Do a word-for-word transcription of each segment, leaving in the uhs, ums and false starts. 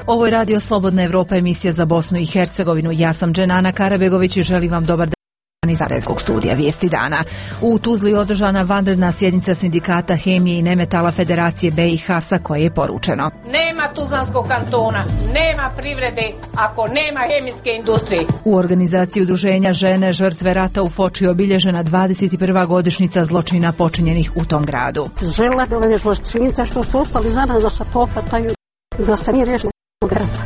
Ovo je Radio Slobodna Evropa, emisija za Bosnu i Hercegovinu. Ja sam Dženana Karabegović i želim vam dobar dan iz Sarajevskog studija Vijesti dana. U Tuzli održana vanredna sjednica sindikata hemije i nemetala Federacije be i ha sa koje je poručeno: nema Tuzlanskog kantona, nema privrede ako nema hemijske industrije. U organizaciji udruženja Žene žrtve rata u Foči obilježena dvadeset prva godišnjica zločina počinjenih u tom gradu. Žela da zločinca što su ostali za nas da se pohvataju, da se nije riješilo.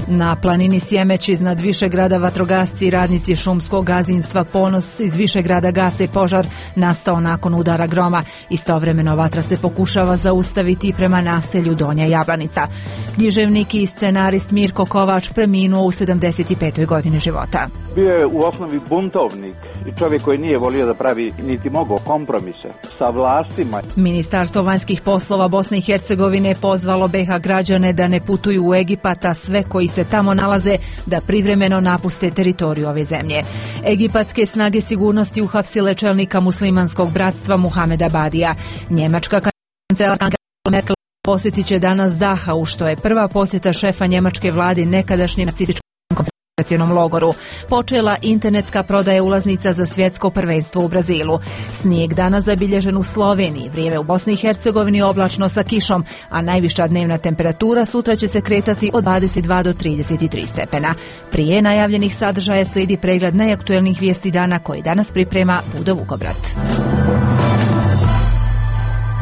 Na planini Sjemeć iznad Višegrada vatrogasci i radnici šumskog gazdinstva Ponos iz Višegrada gase požar nastao nakon udara groma. Istovremeno vatra se pokušava zaustaviti prema naselju Donja Jablanica. Književnik i scenarist Mirko Kovač preminuo u sedamdeset petoj godini života. Bio je u osnovi buntovnik i čovjek koji nije volio da pravi niti mogao kompromise sa vlastima. Ministarstvo vanjskih poslova Bosne i Hercegovine pozvalo be ha građane da ne putuju u Egipat, a sve koji se tamo nalaze da privremeno napuste teritoriju ove zemlje. Egipatske snage sigurnosti uhapsile čelnika muslimanskog bratstva Muhameda Badija. Njemačka kancelarka Angela Merkel posjetit će danas Dachau, što je prva posjeta šefa njemačke vlade nekadašnjem nacističkom koncentracionom logoru. Počela internetska prodaja ulaznica za svjetsko prvenstvo u Brazilu. Snijeg danas zabilježen u Sloveniji, vrijeme u Bosni i Hercegovini oblačno sa kišom, a najviša dnevna temperatura sutra će se kretati od dvadeset dva do trideset tri stepena. Prije najavljenih sadržaja slijedi pregled najaktuelnijih vijesti dana koji danas priprema Budo Vukobrat.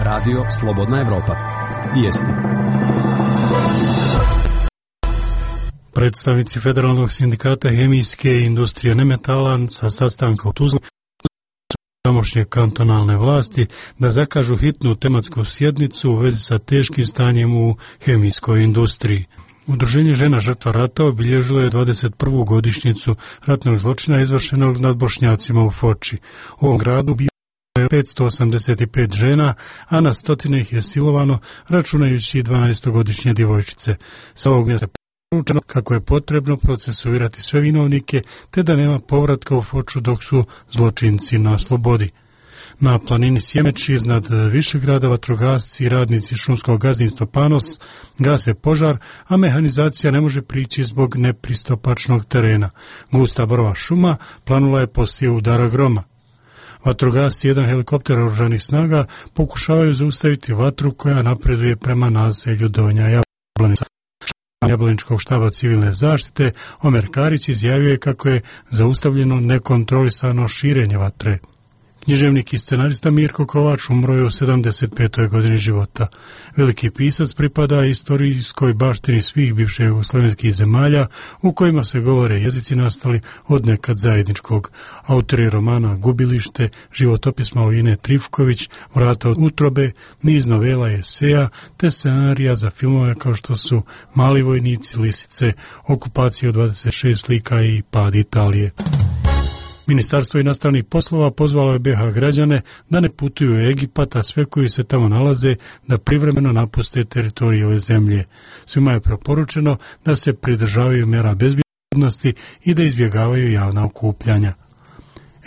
Radio Slobodna Evropa. Vijesti. Predstavnici Federalnog sindikata hemijske industrije nemetala sa sastanka u Tuzli tamošnje kantonalne vlasti da zakažu hitnu tematsku sjednicu u vezi sa teškim stanjem u hemijskoj industriji. Udruženje Žena žrtva rata obilježilo je dvadeset prvu godišnjicu ratnog zločina izvršenog nad Bošnjacima u Foči. U ovom gradu bio je petsto osamdeset pet žena, a na stotine ih je silovano, računajući dvanaestogodišnje djevojčice. Sa ovog mjesta poručeno kako je potrebno procesuirati sve vinovnike, te da nema povratka u Foču dok su zločinci na slobodi. Na planini Sjemeć iznad Višegrada vatrogasci i radnici šumskog gazdinstva Panos gase požar, a mehanizacija ne može prići zbog nepristupačnog terena. Gusta borova šuma planula je poslije udara groma. Vatrogasci i jedan helikopter oružanih snaga pokušavaju zaustaviti vatru koja napreduje prema naselju Donja Jablanica. Jablaničkog štaba civilne zaštite Omer Karić izjavio je kako je zaustavljeno nekontrolisano širenje vatre. Književnik i scenarista Mirko Kovač umro je u sedamdeset petoj godini života. Veliki pisac pripada istorijskoj baštini svih bivših jugoslovenskih zemalja u kojima se govore jezici nastali od nekad zajedničkog. Autor je romana Gubilište, životopis Malovine Trifković, Vrata od utrobe, niz novela i eseja, te scenarija za filmove kao što su Mali vojnici, Lisice, Okupacija od dvadeset šest lika i Pad Italije. Ministarstvo inostranih poslova pozvalo je be ha građane da ne putuju u Egipat, a sve koji se tamo nalaze da privremeno napuste teritoriju ove zemlje. Svima je preporučeno da se pridržavaju mjera bezbjednosti i da izbjegavaju javna okupljanja.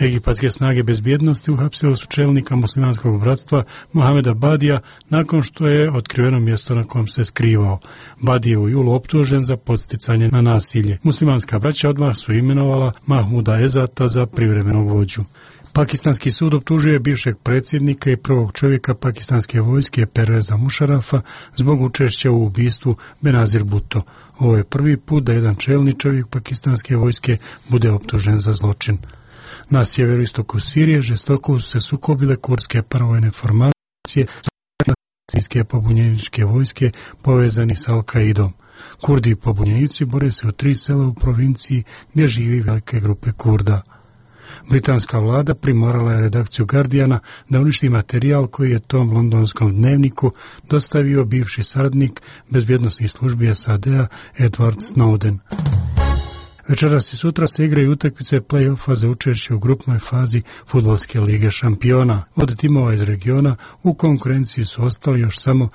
Egipatske snage bezbjednosti uhapsile su čelnika muslimanskog bratstva Muhameda Badija nakon što je otkriveno mjesto na kojem se skrivao. Badi je u julu optužen za podsticanje na nasilje. Muslimanska braća odmah su imenovala Mahmuda Ezata za privremenog vođu. Pakistanski sud optužuje bivšeg predsjednika i prvog čovjeka pakistanske vojske Perveza Mušarafa zbog učešća u ubistvu Benazir Bhutto. Ovo je prvi put da jedan čelni čovjek pakistanske vojske bude optužen za zločin. Na sjeveroistoku Sirije žestoko su se sukobile kurdske paravojne formacije sirijske pobunjeničke vojske povezani s Al-Kaidom. Kurdi i pobunjenici bore se u tri sela u provinciji gdje živi velike grupe Kurda. Britanska vlada primorala je redakciju Guardiana da uništi materijal koji je tom londonskom dnevniku dostavio bivši saradnik bezbjednosnih službi es a de a Edward Snowden. Večeras i sutra se igraju utakmice play-offa za učešće u grupnoj fazi Fudbalske lige šampiona. Od timova iz regiona u konkurenciji su ostali još samo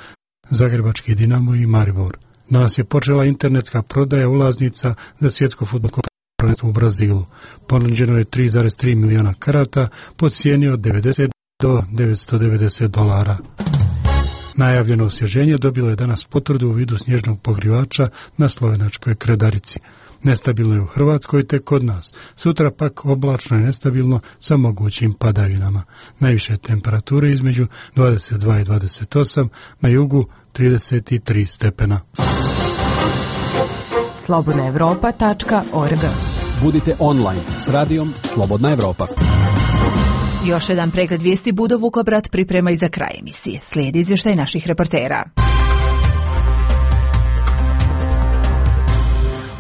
Zagrebački Dinamo i Maribor. Danas je počela internetska prodaja ulaznica za svjetsko fudbalsko prvenstvo u Brazilu. Ponuđeno je tri zarez tri miliona karata po cijeni od devedeset do devetsto devedeset dolara. Najavljeno osvježenje dobilo je danas potvrdu u vidu snježnog pokrivača na slovenačkoj Kredarici. Nestabilno je u Hrvatskoj te kod nas. Sutra pak oblačno i nestabilno sa mogućim padavinama. Najviše temperature između dvadeset dva i dvadeset osam, na jugu trideset tri stepena. slobodna europa tačka org. Budite online s radijom Slobodna Evropa. Još jedan pregled vijesti Budo Vukobrat priprema i za kraj emisije. Slijedi izvještaj naših reportera.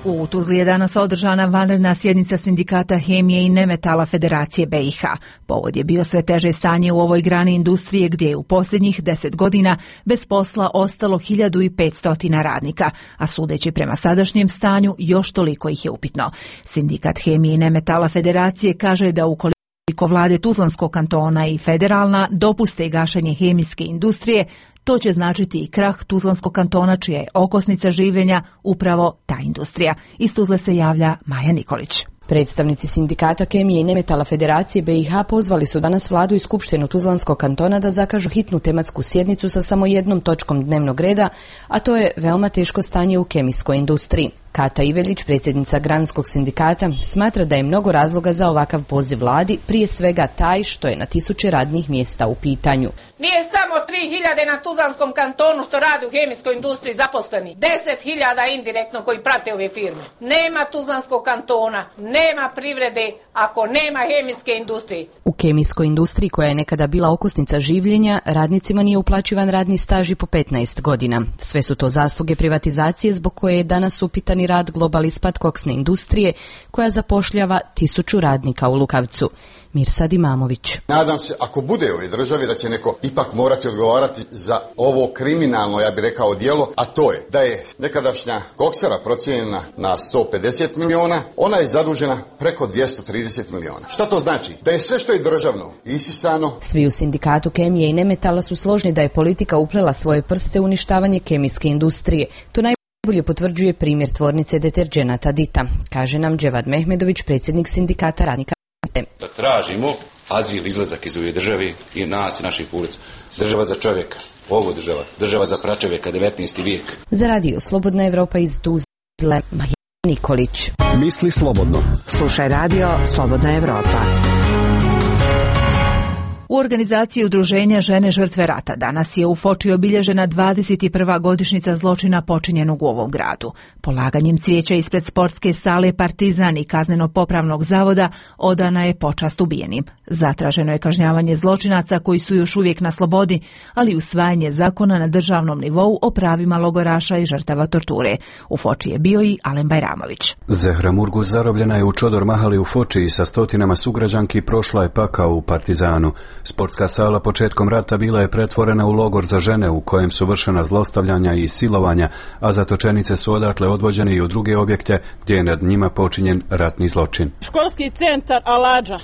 U Tuzli je danas održana vanredna sjednica sindikata hemije i nemetala Federacije be i ha. Povod je bio sve teže stanje u ovoj grani industrije gdje je u posljednjih deset godina bez posla ostalo hiljadu petsto radnika, a sudeći prema sadašnjem stanju još toliko ih je upitno. Sindikat hemije i nemetala Federacije kaže da ukoliko Koliko vlade Tuzlanskog kantona i federalna dopuste gašenje hemijske industrije, to će značiti i krah Tuzlanskog kantona, čija je okosnica življenja upravo ta industrija. Iz Tuzle se javlja Maja Nikolić. Predstavnici sindikata kemije i nemetala Federacije be i ha pozvali su danas vladu i skupštinu Tuzlanskog kantona da zakažu hitnu tematsku sjednicu sa samo jednom točkom dnevnog reda, a to je veoma teško stanje u kemijskoj industriji. Kata Ivelić, predsjednica granskog sindikata, smatra da je mnogo razloga za ovakav poziv vladi, prije svega taj što je na tisuće radnih mjesta u pitanju. Nije samo tri hiljade na Tuzlanskom kantonu što radi u hemijskoj industriji zaposleni, deset hiljada indirektno koji prate ove firme. Nema Tuzlanskog kantona, nema privrede ako nema hemijske industrije. U kemijskoj industriji, koja je nekada bila okosnica življenja, radnicima nije uplaćivan radni staž i po petnaest godina. Sve su to zasluge privatizacije zbog koje je danas upitan i rad Global ispad koksne industrije, koja zapošljava tisuću radnika u Lukavcu. Mirsad Imamović. Nadam se, ako bude u ovoj državi, da će neko ipak morati odgovarati za ovo kriminalno, ja bih rekao, djelo, a to je da je nekadašnja koksara procijenjena na sto pedeset miliona, ona je zadužena preko dvjesto trideset miliona. Šta to znači? Da je sve što je državno isisano. Svi u sindikatu kemije i nemetala su složni da je politika uplela svoje prste u uništavanje kemijske industrije. To najbolje potvrđuje primjer tvornice deterđenata Dita, kaže nam Dževad Mehmedović, predsjednik sindikata radnika. Da tražimo azil, izlazak iz ove države i nas i naših ulica. Država za čovjeka, ovo država, država za pračovjeka, devetnaesti vijek. Za radio Slobodna Evropa iz Tuzle, Maja Nikolić. Misli slobodno. Slušaj radio Slobodna Evropa. U organizaciji udruženja Žene žrtve rata danas je u Foči obilježena dvadeset prva godišnjica zločina počinjenog u ovom gradu. Polaganjem cvijeća ispred sportske sale Partizan i kazneno-popravnog zavoda odana je počast ubijenim. Zatraženo je kažnjavanje zločinaca koji su još uvijek na slobodi, ali i usvajanje zakona na državnom nivou o pravima logoraša i žrtava torture. U Foči je bio i Alen Bajramović. Zehra Murguz zarobljena je u Čodor Mahali u Foči i sa stotinama sugrađanki prošla je pakao u Partizanu. Sportska sala početkom rata bila je pretvorena u logor za žene u kojem su vršena zlostavljanja i silovanja, a zatočenice su odatle odvođene i u druge objekte gdje je nad njima počinjen ratni zločin. Školski centar Aladža,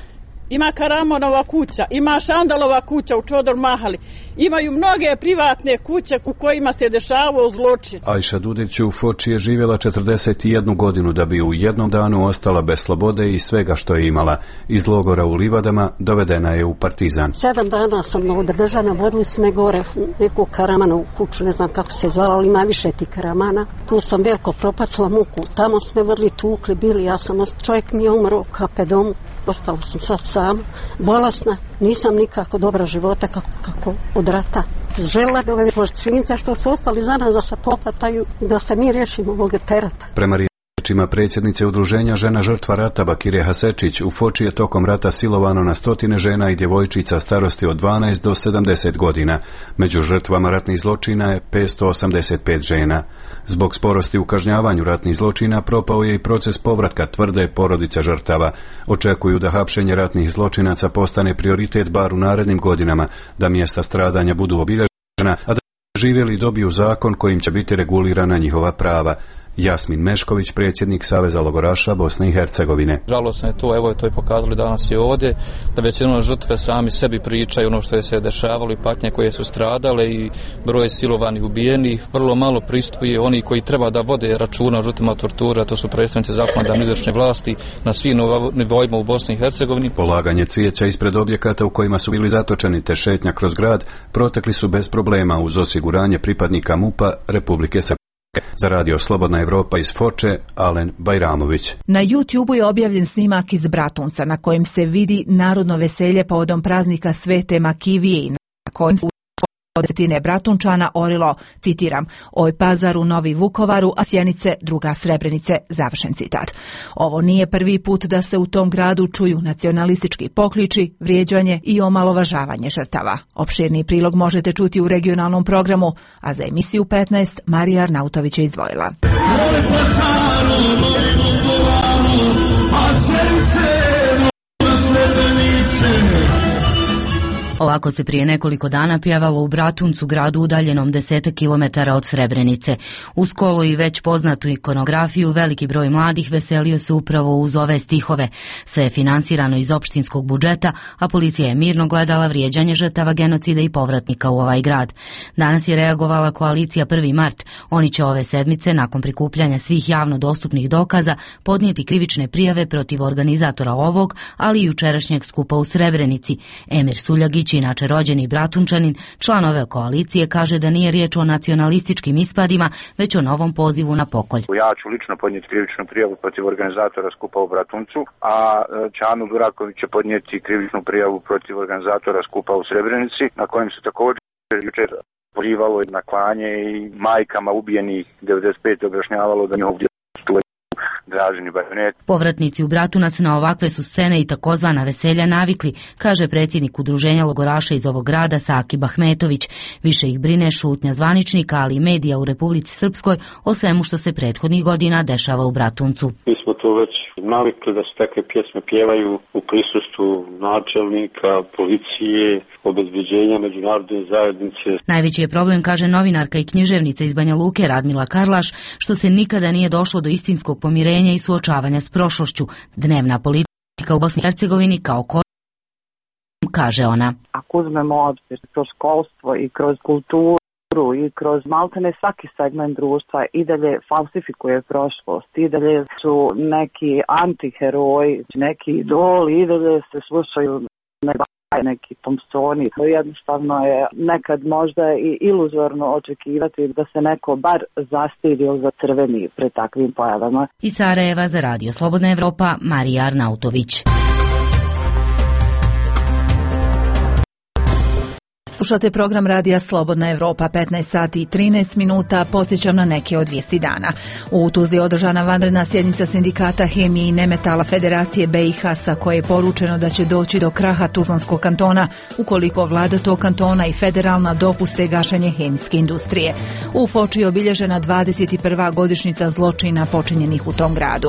ima Karamonova kuća, ima Šandalova kuća u Čodor Mahali, imaju mnoge privatne kuće u kojima se dešavao zločin. Ajša Dudić u Foči je živjela četrdeset jednu godinu da bi u jednom danu ostala bez slobode i svega što je imala. Iz logora u Livadama dovedena je u Partizan. Sedam dana sam ovdje držana, vodili su me gore u neku Karamanovu kuću, ne znam kako se zvala, ali ima više ti Karamana. Tu sam veliko propacila muku, tamo su me vodili, tukli, bili, ja sam, čovjek mi je umro u ka pe domu. Ostala sam sad sama, bolesna, nisam nikako dobra života kako, kako od rata. Žela bi ove činjenice što su ostali za nas da se popataju i da se mi riješimo ovog terata. Prema riječima predsjednice udruženja Žena žrtva rata Bakire Hasečić, u Foči je tokom rata silovano na stotine žena i djevojčica starosti od dvanaest do sedamdeset godina. Među žrtvama ratnih zločina je petsto osamdeset pet žena. Zbog sporosti u kažnjavanju ratnih zločina propao je i proces povratka, tvrde porodice žrtava. Očekuju da hapšenje ratnih zločinaca postane prioritet bar u narednim godinama, da mjesta stradanja budu obilježena, a da živjeli dobiju zakon kojim će biti regulirana njihova prava. Jasmin Mešković, predsjednik Saveza logoraša Bosne i Hercegovine. Žalosno je to, evo je to i pokazali danas i ovdje, da većinom žrtve sami sebi pričaju ono što je se dešavalo i patnje koje su stradale i broj silovanih, ubijenih. Vrlo malo pristupuje oni koji treba da vode računa o žrtvama torture, to su predstavnici zakonodavne izvršne vlasti na svim nivoima u Bosni i Hercegovini. Polaganje cvijeća ispred objekata u kojima su bili zatočeni te šetnja kroz grad protekli su bez problema uz osiguranje pripadnika MUP-a Republike Srpske. Za radio Slobodna Evropa iz Foče, Alen Bajramović. Na YouTubeu je objavljen snimak iz Bratunca na kojem se vidi narodno veselje povodom praznika Svete Makivije i na kojem su desetine Bratunčana orilo, citiram, oj Pazaru, Novi Vukovaru, a Sjenice, druga Srebrenice, završen citat. Ovo nije prvi put da se u tom gradu čuju nacionalistički pokliči, vrijeđanje i omalovažavanje žrtava. Opširni prilog možete čuti u regionalnom programu, a za emisiju petnaest Marija Arnautović je izdvojila. Ovako se prije nekoliko dana pjevalo u Bratuncu, gradu udaljenom desetak kilometara od Srebrenice. Uz kolo i već poznatu ikonografiju, veliki broj mladih veselio se upravo uz ove stihove. Sve je finansirano iz opštinskog budžeta, a policija je mirno gledala vrijeđanje žrtava genocida i povratnika u ovaj grad. Danas je reagovala koalicija prvi mart. Oni će ove sedmice, nakon prikupljanja svih javno dostupnih dokaza, podnijeti krivične prijave protiv organizatora ovog, ali i jučerašnjeg skupa u Srebrenici. Emir Suljagić, inače rođeni Bratunčanin, član ove koalicije, kaže da nije riječ o nacionalističkim ispadima, već o novom pozivu na pokolj. Ja ću lično podnijeti krivičnu prijavu protiv organizatora skupa u Bratuncu, a Čanu Duraković će podnijeti krivičnu prijavu protiv organizatora skupa u Srebrenici, na kojem se također jučer pozivalo na klanje i majkama ubijenih devedeset pete objašnjavalo da njihov Draženi bajonet. Povratnici u Bratunac na ovakve su scene i takozvana veselja navikli, kaže predsjednik udruženja logoraša iz ovog grada Sakib Ahmetović. Više ih brine šutnja zvaničnika, ali i medija u Republici Srpskoj o svemu što se prethodnih godina dešava u Bratuncu. Mi smo to već navikli da se takve pjesme pjevaju u prisustvu načelnika, policije, obezbeđenja međunarodne zajednice. Najveći je problem, kaže novinarka i književnica iz Banja Luke Radmila Karlaš, što se nikada nije došlo do istinskog pomirenja i suočavanja s prošlošću. Dnevna politika u Bosni i Hercegovini kao ko... kaže ona. Ako uzmemo obzir kroz školstvo i kroz kulturu i kroz maltene svaki segment društva i dalje falsifikuje prošlost, i dalje su neki antiheroji, neki idoli, i dalje se slušaju neki Thompsoni. Jednostavno je nekad možda i iluzorno očekivati da se neko bar zastidi ili zacrveni pred takvim pojavama. Iz Sarajeva za radio Slobodna Evropa, Marija Arnautović. Slušate program radija Slobodna Evropa, petnaest sati i trinaest minuta, posjećam na neke od vijesti dana. U Tuzli je održana vanredna sjednica sindikata hemije i nemetala Federacije B i H, sa koje je poručeno da će doći do kraha Tuzlanskog kantona ukoliko vlada tog kantona i federalna dopuste gašenje hemijske industrije. U Foči je obilježena dvadeset prva godišnjica zločina počinjenih u tom gradu.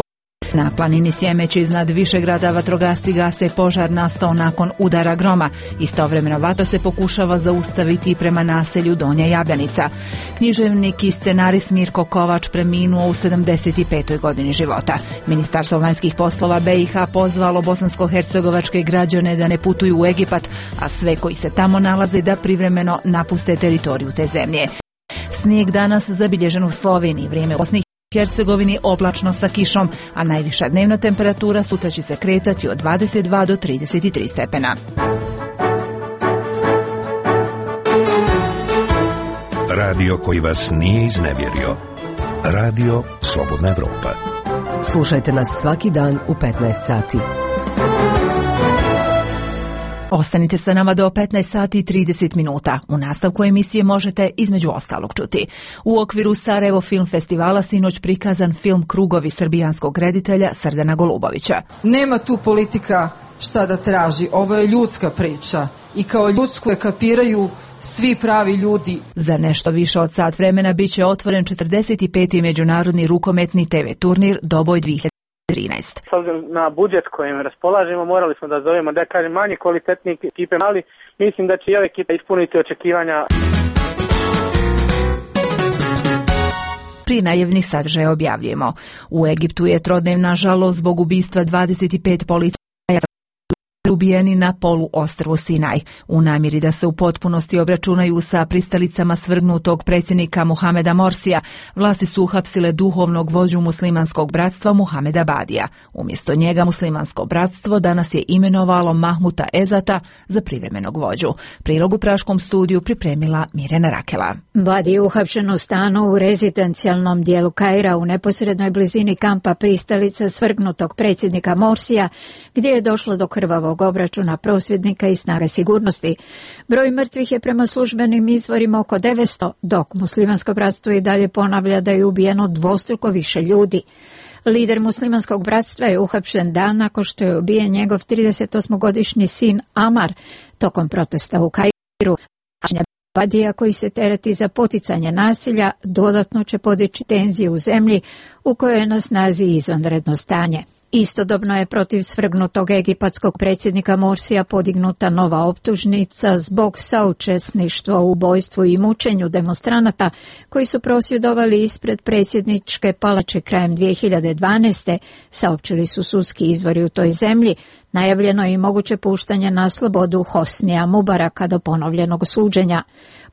Na planini Sjemeć iznad Višegrada vatrogasci gase požar nastao nakon udara groma. Istovremeno vatra se pokušava zaustaviti prema naselju Donja Jabljanica. Književnik i scenarist Mirko Kovač preminuo u sedamdeset petoj godini života. Ministarstvo vanjskih poslova B i H pozvalo bosansko-hercegovačke građane da ne putuju u Egipat, a sve koji se tamo nalaze da privremeno napuste teritoriju te zemlje. Snijeg danas zabilježen u Sloveniji, vrijeme u Bosni i Hercegovini oblačno sa kišom, a najviša dnevna temperatura sutra će se kretati od dvadeset dva do trideset tri stepena. Radio koji vas nije iznevjerio. Radio Slobodna Evropa. Slušajte nas svaki dan u petnaest sati. Ostanite sa nama do petnaest sati i trideset minuta. U nastavku emisije možete između ostalog čuti. U okviru Sarajevo Film Festivala sinoć prikazan film Krugovi srbijanskog reditelja Srdana Golubovića. Nema tu politika šta da traži, ovo je ljudska priča i kao ljudsku je kapiraju svi pravi ljudi. Za nešto više od sat vremena bit će otvoren četrdeset peti međunarodni rukometni te ve turnir Doboj dvije hiljade trinaest. S obzirom na budžet kojim raspolažemo, morali smo da zovemo, da kažem, manje kvalitetnije ekipe, ali mislim da će i ove ekipe ispuniti očekivanja. Prije najavnih sadržaja objavljujemo. U Egiptu je trodnevna žalost zbog ubistva dvadeset pet policajaca ubijeni na poluostrvu Sinaj. U namjeri da se u potpunosti obračunaju sa pristalicama svrgnutog predsjednika Muhameda Morsija, vlasti su uhapsile duhovnog vođu muslimanskog bratstva Muhameda Badija. Umjesto njega muslimansko bratstvo danas je imenovalo Mahmuta Ezata za privremenog vođu. Prilog u praškom studiju pripremila Mirjana Rakela. Badi je uhapšen u stanu u rezidencijalnom dijelu Kaira u neposrednoj blizini kampa pristalica svrgnutog predsjednika Morsija, gdje je došlo do krvavog obračuna prosvjednika i snage sigurnosti. Broj mrtvih je prema službenim izvorima oko devetsto, dok muslimansko bratstvo i dalje ponavlja da je ubijeno dvostruko više ljudi. Lider muslimanskog bratstva je uhapšen dan nakon što je ubijen njegov tridesetosmogodišnji sin Amar tokom protesta u Kairu. Badija, koji se tereti za poticanje nasilja, dodatno će podići tenzije u zemlji u kojoj je na snazi izvanredno stanje. Istodobno je protiv svrgnutog egipatskog predsjednika Morsija podignuta nova optužnica zbog saučesništva u ubojstvu i mučenju demonstranata koji su prosvjedovali ispred predsjedničke palače krajem dvije hiljade dvanaeste, saopćili su sudski izvori u toj zemlji. Najavljeno je i moguće puštanje na slobodu Hosnija Mubaraka do ponovljenog suđenja.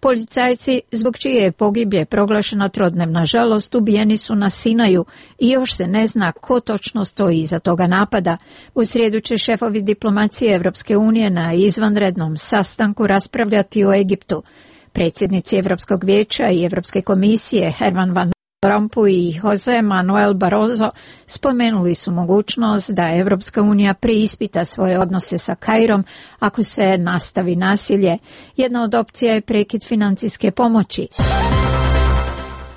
Policajci, zbog čije je pogibije proglašena trodnevna žalost, ubijeni su na Sinaju i još se ne zna ko točno stoji iza toga napada. U srijedu će šefovi diplomacije Evropske unije na izvanrednom sastanku raspravljati o Egiptu. Predsjednici Europskog vijeća i Europske komisije Herman Van Rompuy i Jose Manuel Barroso spomenuli su mogućnost da Evropska unija preispita svoje odnose sa Kairom ako se nastavi nasilje. Jedna od opcija je prekid financijske pomoći.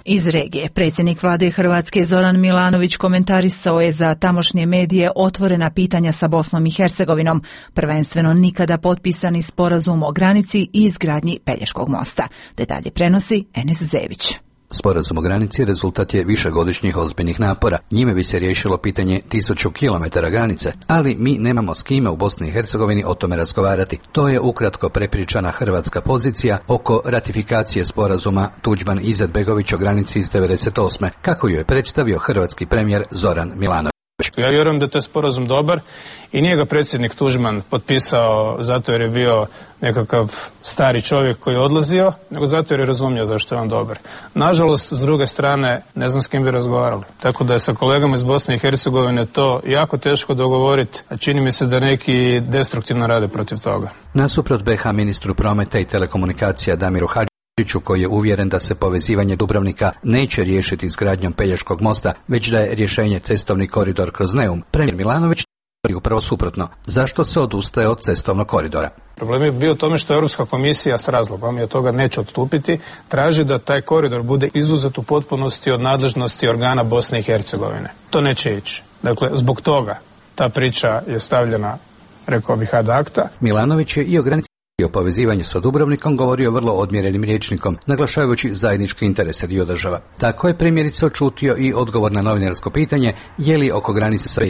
Iz regije, predsjednik vlade Hrvatske Zoran Milanović komentarisao je za tamošnje medije otvorena pitanja sa Bosnom i Hercegovinom, prvenstveno nikada potpisani sporazum o granici i izgradnji Pelješkog mosta. Detalje prenosi Enes Zević. Sporazum o granici rezultat je višegodišnjih ozbiljnih napora. Njime bi se riješilo pitanje tisuću kilometara granice, ali mi nemamo s kime u Bosni i Hercegovini o tome razgovarati. To je ukratko prepričana hrvatska pozicija oko ratifikacije sporazuma Tuđman-Izetbegović o granici iz devedeset osme, kako ju je predstavio hrvatski premijer Zoran Milanović. Ja vjerujem da je taj sporazum dobar i nije ga predsjednik Tuđman potpisao zato jer je bio nekakav stari čovjek koji je odlazio, nego zato jer je razumio zašto je on dobar. Nažalost, s druge strane, ne znam s kim bi razgovarali. Tako da je sa kolegama iz Bosne i Hercegovine to jako teško dogovoriti, a čini mi se da neki destruktivno rade protiv toga. Nasuprot be ha ministru prometa i telekomunikacija Damiru Hadžiću, koji je uvjeren da se povezivanje Dubrovnika neće riješiti izgradnjom Pelješkog mosta, već da je rješenje cestovni koridor kroz Neum, premijer Milanović je upravo suprotno. Zašto se odustaje od cestovnog koridora? Problem je bio u tome što Europska komisija s razlogom i od toga neće odstupiti, traži da taj koridor bude izuzet u potpunosti od nadležnosti organa Bosne i Hercegovine. To neće ići. Dakle, zbog toga ta priča je stavljena, rekao bih, ad acta. Milanović je i o granici o povezivanju sa Dubrovnikom govorio vrlo odmjerenim rječnikom, naglašavajući zajedničke interese dio država. Tako je primjerice očutio i odgovor na novinarsko pitanje je li oko granice sa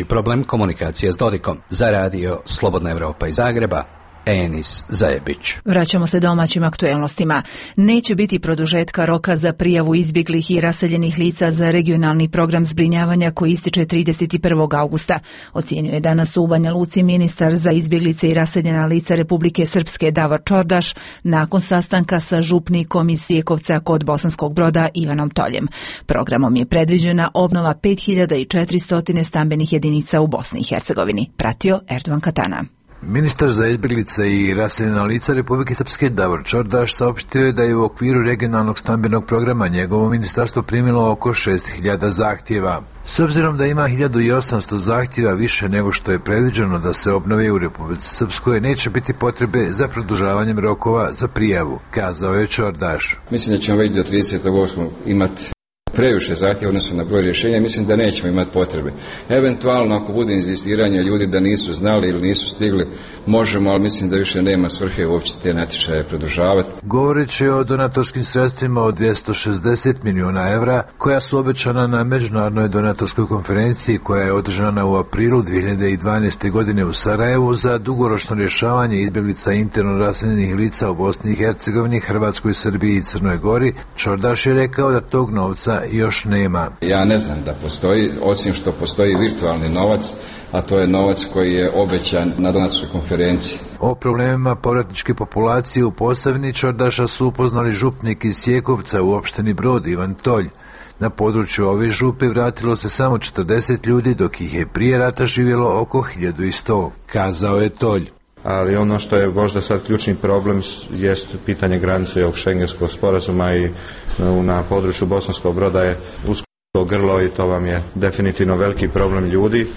problem komunikacije s Dodikom. Za radio Slobodna Evropa iz Zagreba, Enis Zajebić. Vraćamo se domaćim aktuelnostima. Neće biti produžetka roka za prijavu izbjeglih i raseljenih lica za regionalni program zbrinjavanja koji ističe trideset prvog augusta. Ocijenio je danas u Banja Luci ministar za izbjeglice i raseljena lica Republike Srpske Davor Čordaš nakon sastanka sa župnikom iz Sjekovca kod Bosanskog Broda Ivanom Toljem. Programom je predviđena obnova pet hiljada četiristo stambenih jedinica u Bosni i Hercegovini. Pratio Erdovan Katana. Ministar za izbjeglice i raseljena lica Republike Srpske Davor Čordaš saopštio je da je u okviru regionalnog stambenog programa njegovo ministarstvo primilo oko šest hiljada zahtjeva. S obzirom da ima hiljadu osamsto zahtjeva više nego što je predviđeno da se obnove u Republici Srpskoj, neće biti potrebe za produžavanjem rokova za prijavu, kazao je Čordaš. Mislim da ćemo već do tridesetog osmog imati previše zahtjeva odnosno na broj rješenja, mislim da nećemo imati potrebe. Eventualno ako bude inzistiranje ljudi da nisu znali ili nisu stigli, možemo, ali mislim da više nema svrhe uopće te natječaje produžavati. Govoreći o donatorskim sredstvima od dvjesto šezdeset milijuna evra koja su obećana na međunarodnoj donatorskoj konferenciji koja je održana u aprilu dvije hiljade dvanaeste. godine u Sarajevu za dugoročno rješavanje izbjeglica interno raseljenih lica u Bosni i Hercegovini, Hrvatskoj, Srbiji i Crnoj Gori, Čordaš je rekao da tog novca još nema. Ja ne znam da postoji, osim što postoji virtualni novac, a to je novac koji je obećan na donatorskoj konferenciji. O problemima povratničke populacije u Posavini Čordaša su upoznali župnik iz Sjekovca u opštini Brod Ivan Tolj. Na području ove župe vratilo se samo četrdeset ljudi, dok ih je prije rata živjelo oko hiljadu sto, kazao je Tolj. Ali ono što je možda sad ključni problem jest pitanje granice ovog šengenskog sporazuma i na području Bosanskog Broda je usko grlo i to vam je definitivno veliki problem ljudi.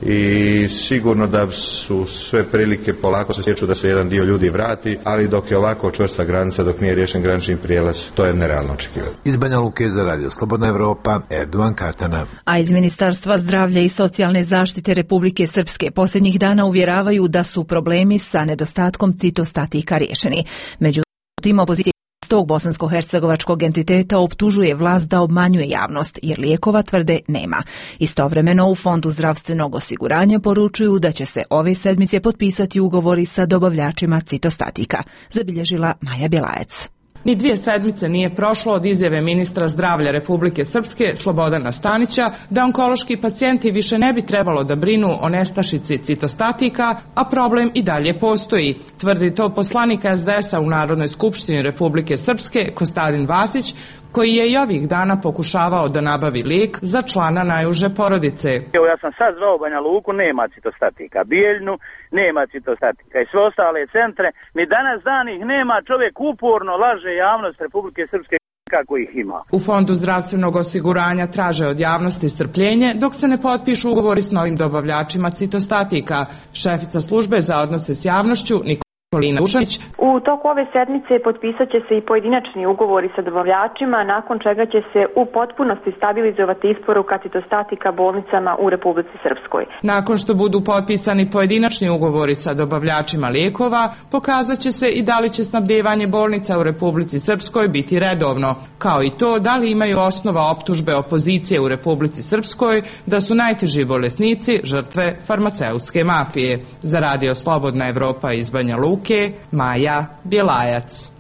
I sigurno da su sve prilike polako se stječu da se jedan dio ljudi vrati, ali dok je ovako čvrsta granica, dok nije riješen granični prijelaz, to je nerealno očekivati. Iz Banja Luke za Radio Slobodna Evropa, Erdovan Katana. A iz Ministarstva zdravlja i socijalne zaštite Republike Srpske posljednjih dana uvjeravaju da su problemi sa nedostatkom citostatika riješeni. Međutim, opozicija tog bosansko-hercegovačkog entiteta optužuje vlast da obmanjuje javnost, jer lijekova, tvrde, nema. Istovremeno u Fondu zdravstvenog osiguranja poručuju da će se ove sedmice potpisati ugovori sa dobavljačima citostatika, zabilježila Maja Bjelajac. Ni dvije sedmice nije prošlo od izjave ministra zdravlja Republike Srpske Slobodana Stanića da onkološki pacijenti više ne bi trebalo da brinu o nestašici citostatika, a problem i dalje postoji. Tvrdi to poslanik es de es a u Narodnoj skupštini Republike Srpske Kostadin Vasić, koji je i ovih dana pokušavao da nabavi lijek za člana najuže porodice. Evo, ja sam sad zvao Banja Luku, nema citostatika, Bijeljnu nema citostatika i sve ostale centre, ni danas dan ih nema, čovjek uporno laže javnost Republike Srpske kako ih ima. U Fondu zdravstvenog osiguranja traže od javnosti strpljenje dok se ne potpišu ugovori s novim dobavljačima citostatika. Šefica službe za odnose s javnošću U toku ove sedmice potpisat će se i pojedinačni ugovori sa dobavljačima, nakon čega će se u potpunosti stabilizovati isporuka citostatika bolnicama u Republici Srpskoj. Nakon što budu potpisani pojedinačni ugovori sa dobavljačima lijekova, pokazat će se i da li će snabdijevanje bolnica u Republici Srpskoj biti redovno, kao i to da li imaju osnova optužbe opozicije u Republici Srpskoj da su najteži bolesnici žrtve farmaceutske mafije. Za Radio Slobodna Evropa iz Banja Luke, Maja Bjelajac.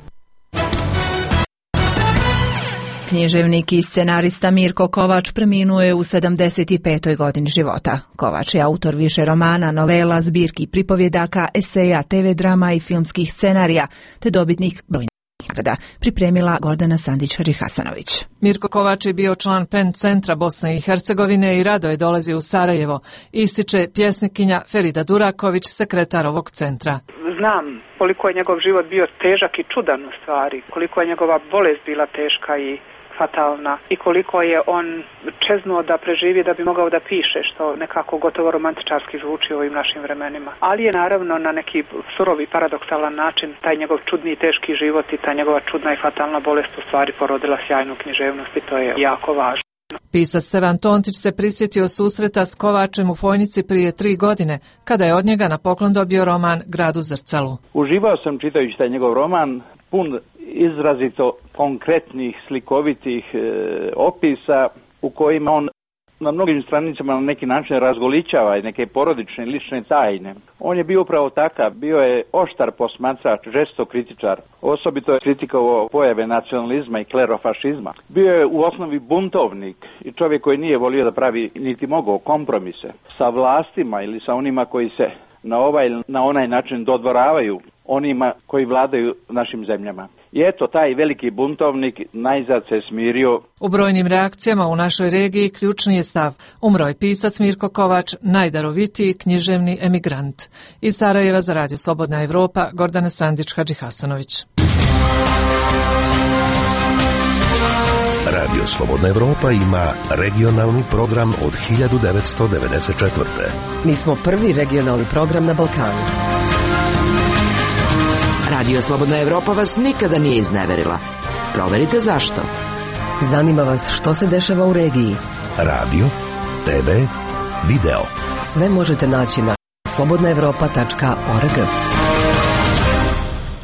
Književnik i scenarista Mirko Kovač preminuo je u sedamdeset petoj godini života. Kovač je autor više romana, novela, zbirki pripovjedaka, eseja, te ve drama i filmskih scenarija, te dobitnik brojnih nagrada. Pripremila Gordana Sandić-Hadžihasanović. Mirko Kovač je bio član Pen centra Bosne i Hercegovine i rado je dolazio u Sarajevo, ističe pjesnikinja Ferida Duraković, sekretar ovog centra. Znam koliko je njegov život bio težak i čudan u stvari, koliko je njegova bolest bila teška i fatalna i koliko je on čeznuo da preživi da bi mogao da piše, što nekako gotovo romantičarski zvuči u ovim našim vremenima. Ali je naravno na neki surovi paradoksalan način taj njegov čudni i teški život i ta njegova čudna i fatalna bolest u stvari porodila sjajnu književnost i to je jako važno. Pisac Stevan Tontić se prisjetio susreta s Kovačem u Fojnici prije tri godine, kada je od njega na poklon dobio roman Grad u zrcalu. Uživao sam čitajući taj njegov roman, pun izrazito konkretnih, slikovitih e, opisa u kojima on na mnogim stranicama na neki način razgoličava i neke porodične lične tajne. On je bio upravo takav, bio je oštar posmatrač, žestok kritičar, osobito je kritikovao pojave nacionalizma i klerofašizma. Bio je u osnovi buntovnik i čovjek koji nije volio da pravi niti mogao kompromise sa vlastima ili sa onima koji se na ovaj ili na onaj način dodvoravaju onima koji vladaju našim zemljama. I eto, taj veliki buntovnik najzad se smirio. U brojnim reakcijama u našoj regiji ključni je stav. Umro je pisac Mirko Kovač, najdarovitiji književni emigrant. Iz Sarajeva za Radio Slobodna Evropa, Gordana Sandić-Hadžihasanović. Radio Slobodna Evropa ima regionalni program od hiljadu devetsto devedeset četvrte. Mi smo prvi regionalni program na Balkanu. Radio Slobodna Evropa vas nikada nije izneverila. Proverite zašto. Zanima vas što se dešava u regiji? Radio, te ve, video. Sve možete naći na slobodna evropa tačka org.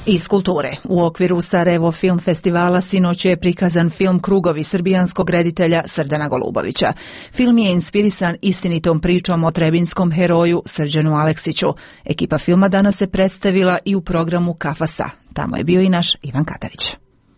Iz kulture. U okviru Sarajevo film festivala sinoć je prikazan film Krugovi srbijanskog reditelja Srdana Golubovića. Film je inspirisan istinitom pričom o trebinskom heroju Srđanu Aleksiću. Ekipa filma danas se predstavila i u programu Kafasa. Tamo je bio i naš Ivan Katavić.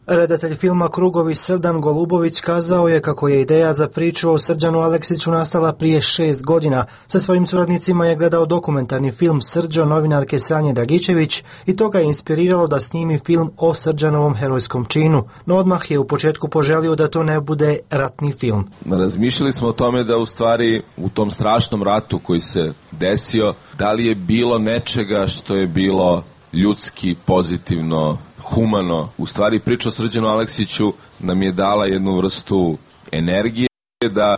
Redatelj filma Krugovi Srdan Golubović kazao je kako je ideja za priču o Srđanu Aleksiću nastala prije šest godina. Sa svojim suradnicima je gledao dokumentarni film Srđo novinarke Sanje Dragičević i to ga je inspiriralo da snimi film o Srđanovom herojskom činu. No odmah je u početku poželio da to ne bude ratni film. Razmišljali smo o tome da u stvari u tom strašnom ratu koji se desio, da li je bilo nečega što je bilo ljudski, pozitivno, humano. U stvari priča o Srđanu Aleksiću nam je dala jednu vrstu energije da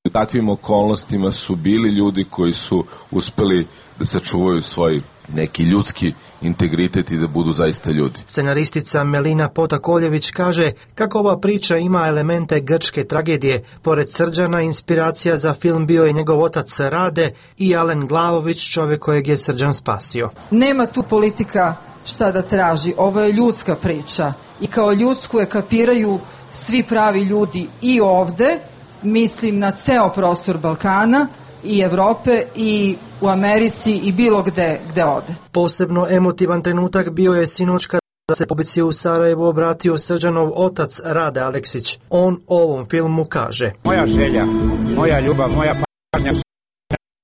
u takvim okolnostima su bili ljudi koji su uspeli da sačuvaju svoj neki ljudski integritet i da budu zaista ljudi. Scenaristica Melina Potakoljević kaže kako ova priča ima elemente grčke tragedije. Pored Srđana, inspiracija za film bio je njegov otac Rade i Alen Glavović, čovjek kojeg je Srđan spasio. Nema tu politika šta da traži, ovo je ljudska priča i kao ljudsku je kapiraju svi pravi ljudi i ovde, mislim na ceo prostor Balkana i Evrope i u Americi i bilo gde gde ode. Posebno emotivan trenutak bio je sinoć kada se publici u Sarajevu obratio Srđanov otac Rade Aleksić. On o ovom filmu kaže: Moja želja, moja ljubav, moja pažnja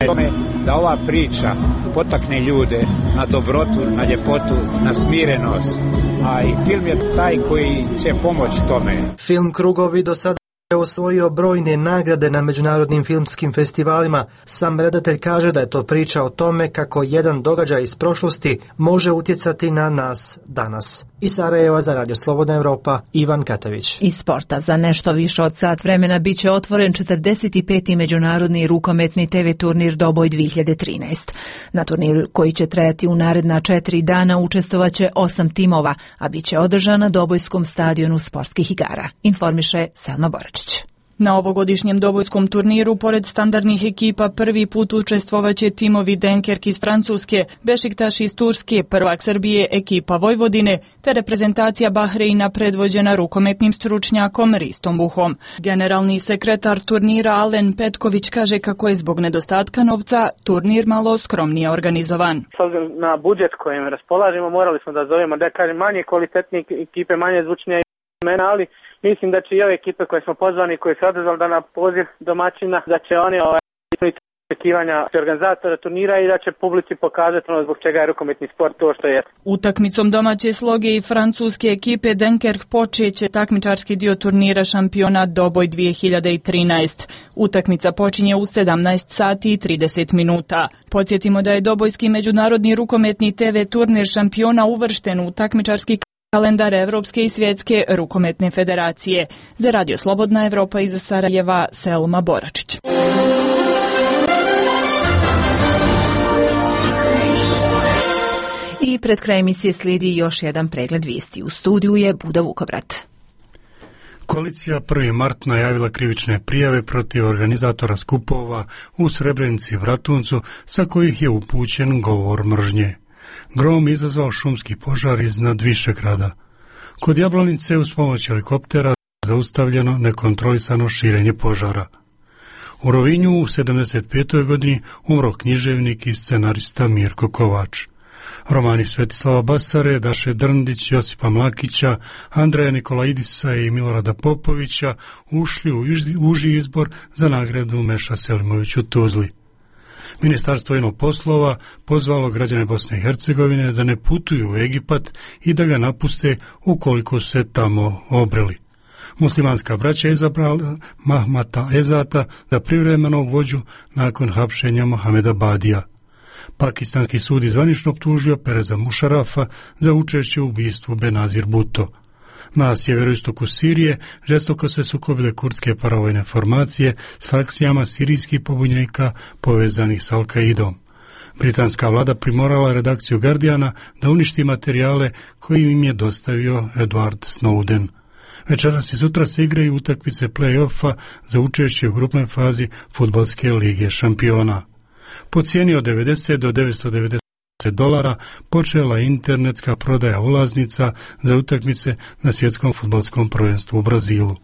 je tome da ova priča potakne ljude na dobrotu, na ljepotu, na smirenost, a i film je taj koji će pomoći tome. Film Krugovi do sada je osvojio brojne nagrade na međunarodnim filmskim festivalima. Sam redatelj kaže da je to priča o tome kako jedan događaj iz prošlosti može utjecati na nas danas. Iz Sarajeva za Radio Slobodna Evropa, Ivan Katavić. Iz sporta za nešto više od sat vremena bit će otvoren četrdeset peti međunarodni rukometni te ve turnir Doboj dvije hiljade trinaest. Na turniru koji će trajati u naredna četiri dana učestvovaće osam timova, a bit će održan na Dobojskom stadionu sportskih igara. Informiše Selma Boračić. Na ovogodišnjem dobojskom turniru, pored standardnih ekipa, prvi put učestvovaće timovi Denkerk iz Francuske, Bešiktaš iz Turske, prvak Srbije, ekipa Vojvodine, te reprezentacija Bahreina predvođena rukometnim stručnjakom Ristom Buhom. Generalni sekretar turnira Alen Petković kaže kako je zbog nedostatka novca turnir malo skromnije organizovan. S obzirom na budžet kojim raspolažemo, morali smo da zovemo, da kažem, manje kvalitetne ekipe, manje zvučnije imena, ali mislim da će i ove ekipe koje smo pozvani, koje se odazvali da na poziv domaćina, da će oni ovaj, očekivanja organizatora turnira i da će publici pokazati ono zbog čega je rukometni sport to što je. Utakmicom domaće sloge i francuske ekipe Denkerk počeće takmičarski dio turnira šampionat Doboj dvije hiljade trinaest. Utakmica počinje u sedamnaest sati i trideset minuta. Podsjetimo da je Dobojski međunarodni rukometni te ve turnir šampiona uvršten u takmičarski kalendar Evropske i svjetske rukometne federacije. Za Radio Slobodna Evropa iz Sarajeva, Selma Boračić. I pred kraj emisije slijedi još jedan pregled vijesti. U studiju je Buda Vukobrat. Koalicija prvi mart najavila krivične prijave protiv organizatora skupova u Srebrenici i Vratuncu, sa kojih je upućen govor mržnje. Grom izazvao šumski požar iznad Višegrada. Kod Jablanice uz pomoć helikoptera zaustavljeno nekontrolisano širenje požara. U Rovinju u sedamdeset petoj godini umro književnik i scenarista Mirko Kovač. Romani Svetislava Basare, Daše Drndić, Josipa Mlakića, Andreja Nikolaidisa i Milorada Popovića ušli u uži izbor za nagradu Meša Selimović u Tuzli. Ministarstvo inoga poslova pozvalo građane Bosne i Hercegovine da ne putuju u Egipat i da ga napuste ukoliko se tamo obreli. Muslimanska braća izabrala Mahmata Ezata za privremenog vođu nakon hapšenja Mohameda Badija. Pakistanski sud zvanično optužio Pereza Mušarafa za učešće u ubistvu Benazir Bhutto. Na sjeveroistoku Sirije žestoko se sukobile kurdske paravojne formacije s frakcijama sirijskih pobunjenika povezanih s Al-Kaidom. Britanska vlada primorala redakciju Guardiana da uništi materijale koje im je dostavio Edward Snowden. Večeras i sutra se igraju utakmice play-offa za učešće u grupnoj fazi Fudbalske lige šampiona. Po cijeni od devedeset do devetsto devedeset dolara počela internetska prodaja ulaznica za utakmice na svjetskom fudbalskom prvenstvu u Brazilu.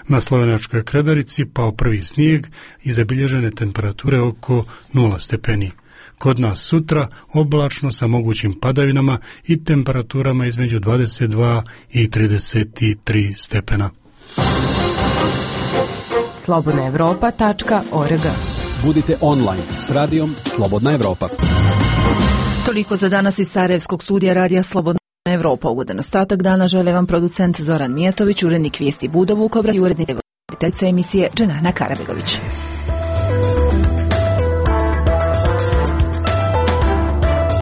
Na slovenačkoj Kredarici pao prvi snijeg i zabilježene temperature oko nula stepeni. Kod nas sutra oblačno sa mogućim padavinama i temperaturama između dvadeset dva i trideset tri stepena. slobodna evropa tačka org. Budite online s radijom Slobodna Evropa. Toliko za danas iz Sarajevskog studija radija Slobodna Evropa. Ugodan ostatak dana žele vam producent Zoran Mijatović, urednik vijesti Budo Vukobra i urednica emisije Dženana Karabegović.